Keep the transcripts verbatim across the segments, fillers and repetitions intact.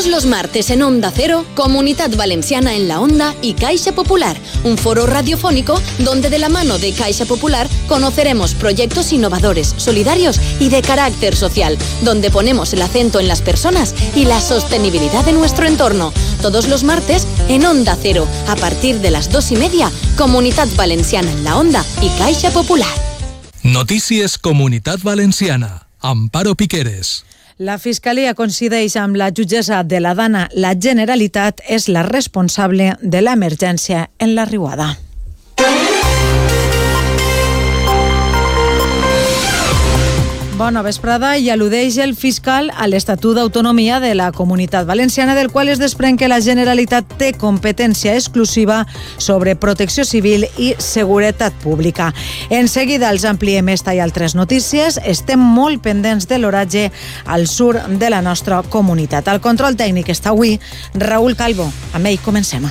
Todos los martes en Onda Cero, Comunidad Valenciana en la Onda y Caixa Popular, un foro radiofónico donde de la mano de Caixa Popular conoceremos proyectos innovadores, solidarios y de carácter social, donde ponemos el acento en las personas y la sostenibilidad de nuestro entorno. Todos los martes en Onda Cero, a partir de las dos y media, Comunidad Valenciana en la Onda y Caixa Popular. Notícies Comunitat Valenciana. Amparo Piqueres. La Fiscalia coincideix amb la jutgessa de la Dana. La Generalitat és la responsable de l'emergència en la Riuada. Bona vesprada. I al·ludeix el fiscal a l'Estatut d'Autonomia de la Comunitat Valenciana, del qual es desprèn que la Generalitat té competència exclusiva sobre protecció civil i seguretat pública. En seguida els ampliem esta i altres notícies. Estem molt pendents de l'oratge al sud de la nostra comunitat. Al control tècnic està avui Raül Calvo. Amb ell comencem.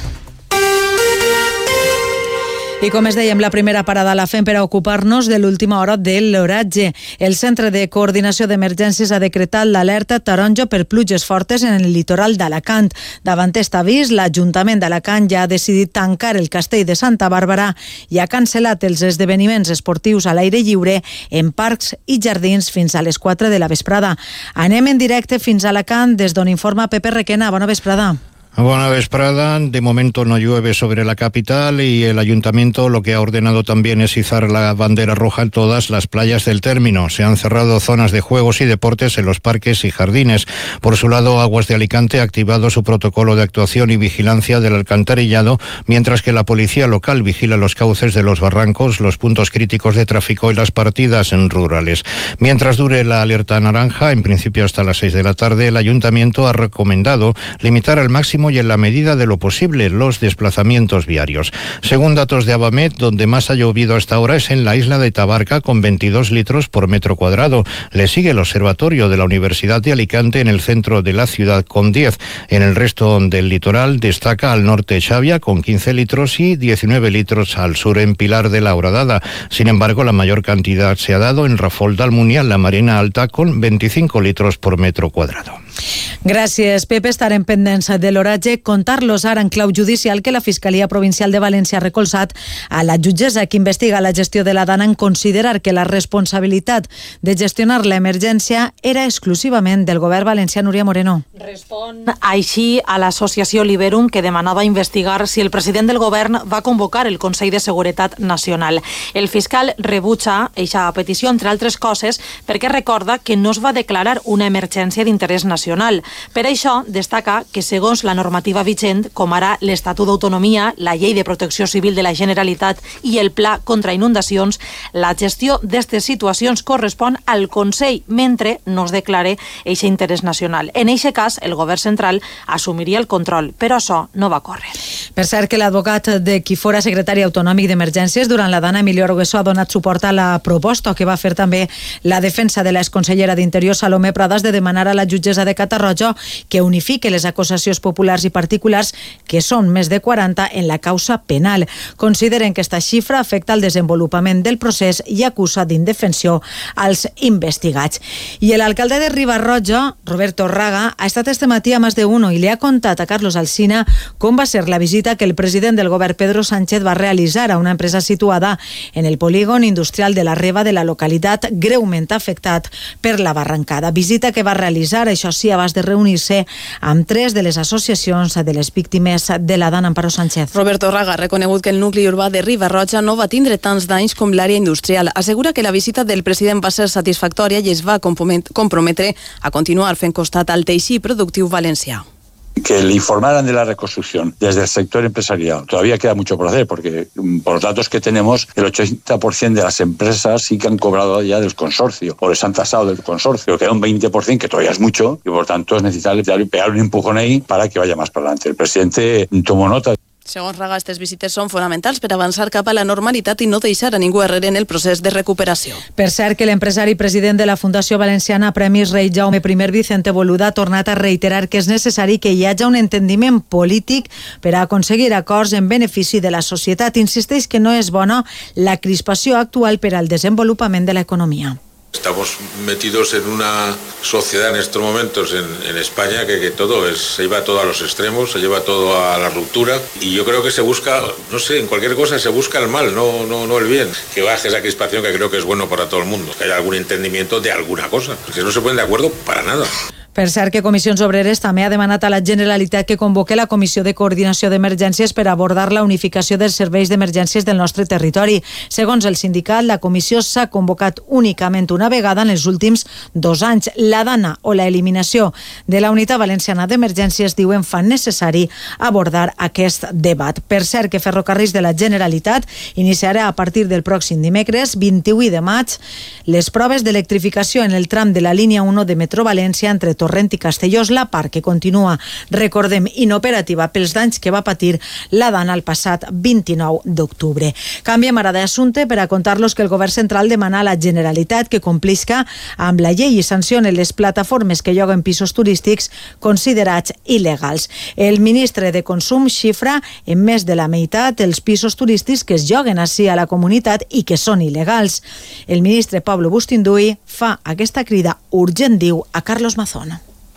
I com es dèiem, la primera parada la fem per a ocupar-nos de l'última hora de l'oratge. El Centre de Coordinació d'Emergències ha decretat l'alerta taronja per pluges fortes en el litoral d'Alacant. Davant aquest avís, l'Ajuntament d'Alacant ja ha decidit tancar el castell de Santa Bàrbara i ha cancel·lat els esdeveniments esportius a l'aire lliure en parcs i jardins fins a les quatre de la vesprada. Anem en directe fins a Alacant, des d'on informa Pepe Requena. Bona vesprada. Buena vesprada. De momento no llueve sobre la capital y el ayuntamiento lo que ha ordenado también es izar la bandera roja en todas las playas del término. Se han cerrado zonas de juegos y deportes en los parques y jardines. Por su lado, Aguas de Alicante ha activado su protocolo de actuación y vigilancia del alcantarillado, mientras que la policía local vigila los cauces de los barrancos, los puntos críticos de tráfico y las partidas en rurales. Mientras dure la alerta naranja, en principio hasta las seis de la tarde, el ayuntamiento ha recomendado limitar al máximo y en la medida de lo posible los desplazamientos viarios. Según datos de Abamet, donde más ha llovido hasta ahora es en la isla de Tabarca, con veintidós litros por metro cuadrado. Le sigue el observatorio de la Universidad de Alicante en el centro de la ciudad con diez. En el resto del litoral destaca al norte Xavia con quince litros y diecinueve litros al sur en Pilar de la Horadada. Sin embargo, la mayor cantidad se ha dado en Rafol d'Almunia, en la Marina Alta, con veinticinco litros por metro cuadrado. Gràcies, Pepe. Estarem pendents de l'oratge. Contar-los ara en clau judicial que la Fiscalia Provincial de València ha recolzat a la jutgessa que investiga la gestió de la Dana en considerar que la responsabilitat de gestionar l'emergència era exclusivament del govern valencià. Núria Moreno. Respon així a l'associació Liberum, que demanava investigar si el president del govern va convocar el Consell de Seguretat Nacional. El fiscal rebutja eixa petició, entre altres coses, perquè recorda que no es va declarar una emergència d'interès nacional. Per això, destaca que segons la normativa vigent, com ara l'Estatut d'Autonomia, la Llei de Protecció Civil de la Generalitat i el Pla contra Inundacions, la gestió d'aquestes situacions correspon al Consell, mentre no es declare eixe interès nacional. En eixe cas, el govern central assumiria el control, però això no va córrer. Per cert, que l'advocat de qui fora secretari autonòmic d'Emergències durant la Dana, Emilio Argueso, ha donat suport a la proposta que va fer també la defensa de l'exconsellera d'Interior, Salomé Pradas, de demanar a la jutgessa de Catarroja que unifique les acusacions populars i particulars, que són més de quaranta, en la causa penal. Consideren que esta xifra afecta el desenvolupament del procés i acusa d'indefensió als investigats. I l'alcalde de Riba-roja, Roberto Raga, ha estat este matí a Más de Uno i li ha contat a Carlos Alsina com va ser la visita que el president del govern, Pedro Sánchez, va realitzar a una empresa situada en el polígon industrial de la Reba de la localitat greument afectat per la barrancada. Visita que va realitzar, això sí, abans de reunir-se amb tres de les associacions de les víctimes de la Dana. Amparo Sánchez. Roberto Raga ha reconegut que el nucli urbà de Riba-roja no va tindre tants danys com l'àrea industrial. Assegura que la visita del president va ser satisfactòria i es va comprometre a continuar fent costat al teixit productiu valencià. Que le informaran de la reconstrucción desde el sector empresarial. Todavía queda mucho por hacer porque por los datos que tenemos el ochenta por ciento de las empresas sí que han cobrado ya del consorcio o les han tasado del consorcio. Queda un veinte por ciento que todavía es mucho y por tanto es necesario pegar un empujón ahí para que vaya más para adelante. El presidente tomó nota. Segons Raga, aquestes visites són fonamentals per avançar cap a la normalitat i no deixar a ningú arrere en el procés de recuperació. Per cert, que l'empresari president de la Fundació Valenciana Premis Rei Jaume I Vicente Boluda ha tornat a reiterar que és necessari que hi hagi un entendiment polític per a aconseguir acords en benefici de la societat. Insisteix que no és bona la crispació actual per al desenvolupament de l'economia. Estamos metidos en una sociedad en estos momentos en, en España que, que todo es, se lleva todo a los extremos, se lleva todo a la ruptura y yo creo que se busca, no sé, en cualquier cosa se busca el mal, no, no, no el bien. Que baje esa crispación que creo que es bueno para todo el mundo, que haya algún entendimiento de alguna cosa, porque no se ponen de acuerdo para nada. Per cert, que Comissions Obreres també ha demanat a la Generalitat que convoque la Comissió de Coordinació d'Emergències per abordar la unificació dels serveis d'emergències del nostre territori. Segons el sindicat, la comissió s'ha convocat únicament una vegada en els últims dos anys. La DANA o la eliminació de la Unitat Valenciana d'Emergències, diuen, fan necessari abordar aquest debat. Per cert, que Ferrocarrils de la Generalitat iniciarà a partir del pròxim dimecres, vint-i-vuit de maig, les proves d'electrificació en el tram de la línia u de Metro València entre Torrent i Castellós, la part que continua, recordem, inoperativa pels danys que va patir la DANA el passat vint-i-nou d'octubre. Canviem ara d'assumpte per a contar-los que el govern central demana a la Generalitat que complisca amb la llei i sancione les plataformes que lloguen pisos turístics considerats il·legals. El ministre de Consum xifra en més de la meitat els pisos turístics que es lloguen així a la comunitat i que són il·legals. El ministre Pablo Bustinduy fa aquesta crida urgent, diu, a Carlos Mazón.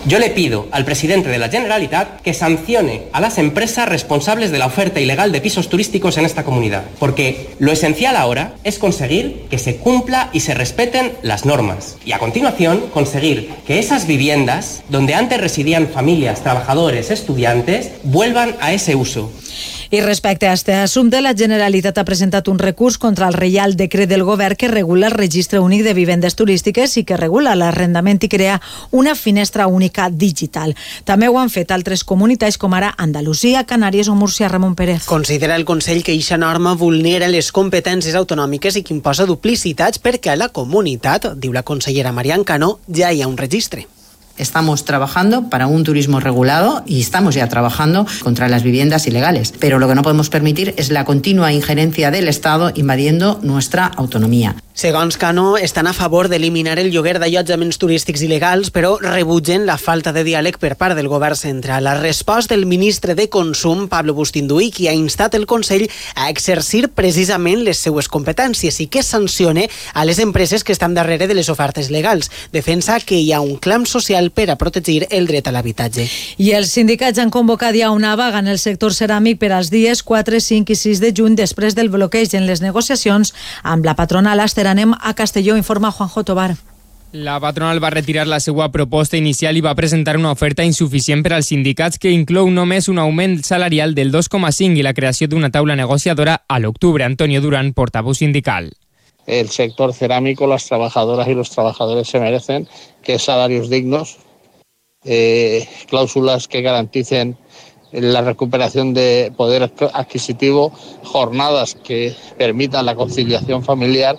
Yo le pido al presidente de la Generalitat que sancione a las empresas responsables de la oferta ilegal de pisos turísticos en esta comunidad, porque lo esencial ahora es conseguir que se cumpla y se respeten las normas y a continuación conseguir que esas viviendas donde antes residían familias, trabajadores, estudiantes vuelvan a ese uso. I respecte a este assumpte, la Generalitat ha presentat un recurs contra el Reial Decret del Govern que regula el registre únic de vivendes turístiques i que regula l'arrendament i crea una finestra única digital. També ho han fet altres comunitats com ara Andalusia, Canàries o Múrcia. Ramon Pérez. Considera el Consell que eixa norma vulnera les competències autonòmiques i que imposa duplicitats perquè a la comunitat, diu la consellera Marian Cano, ja hi ha un registre. Estamos trabajando para un turismo regulado y estamos ya trabajando contra las viviendas ilegales. Pero lo que no podemos permitir es la continua injerencia del Estado invadiendo nuestra autonomía. Segons Cano, estan a favor d'eliminar el lloguer d'allotjaments turístics il·legals, però rebutgen la falta de diàleg per part del govern central. La resposta del ministre de Consum, Pablo Bustinduy, qui ha instat el Consell a exercir precisament les seues competències i que sancione a les empreses que estan darrere de les ofertes legals. Defensa que hi ha un clam social per a protegir el dret a l'habitatge. I els sindicats han convocat ja una vaga en el sector ceràmic per als dies quatre, cinc i sis de juny després del bloqueig en les negociacions amb la patronal Aster. Anem a Castelló, informa Juanjo Tobar. La patronal va retirar la seva proposta inicial i va presentar una oferta insuficient per als sindicats que inclou només un augment salarial del dos coma cinc i la creació d'una taula negociadora a l'octubre. Antonio Durán, portavoz sindical. El sector cerámico, las trabajadoras y los trabajadores se merecen que salarios dignos, eh, cláusulas que garanticen la recuperación de poder adquisitivo, jornadas que permitan la conciliación familiar.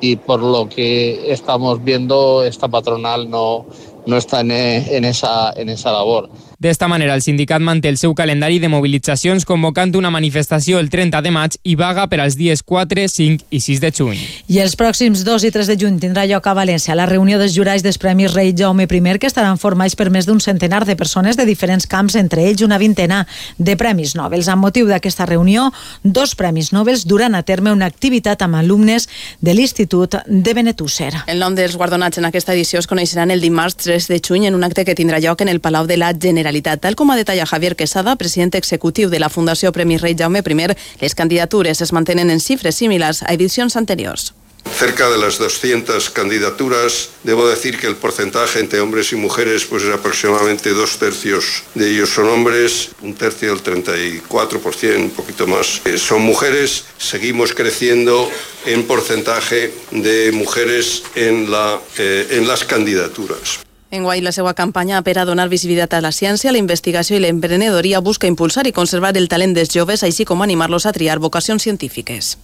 Y por lo que estamos viendo, esta patronal no, no está en, en, esa, en esa labor. D'esta manera, el sindicat manté el seu calendari de mobilitzacions convocant una manifestació el trenta de maig i vaga per als dies quatre, cinc i sis de juny. I els pròxims dos i tres de juny tindrà lloc a València la reunió dels jurats dels Premis Rei Jaume I, que estaran formats per més d'un centenar de persones de diferents camps, entre ells una vintena de Premis Nobel. Amb motiu d'aquesta reunió, dos Premis Nobel duran a terme una activitat amb alumnes de l'Institut de Benetússer. El nom dels guardonats en aquesta edició es coneixeran el dimarts tres de juny en un acte que tindrà lloc en el Palau de la Generalitat. Tal com ha detallat Javier Quesada, president executiu de la Fundació Premis Rei Jaume I, les candidatures es mantenen en xifres similars a edicions anteriors. Cerca de las doscientas candidaturas, debo decir que el porcentaje entre hombres y mujeres pues es aproximadamente dos tercios de ellos son hombres, un tercio, el treinta y cuatro por ciento, un poquito más, eh, son mujeres. Seguimos creciendo en porcentaje de mujeres en, la, eh, en las candidaturas. Enguany, la seva campanya per a donar visibilitat a la ciència, la investigació i l'emprenedoria busca impulsar i conservar el talent dels joves, així com animar-los a triar vocacions científiques.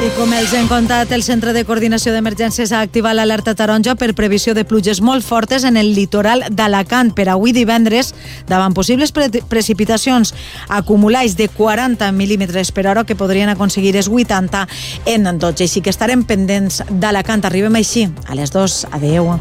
I com els hem contat, el Centre de Coordinació d'Emergències ha activat l'alerta taronja per previsió de pluges molt fortes en el litoral d'Alacant per avui divendres, davant possibles pre precipitacions acumulats de quaranta mil·límetres per hora que podrien aconseguir els vuitanta en dotze. Així que estarem pendents d'Alacant. Arribem així a les dues. Adeu.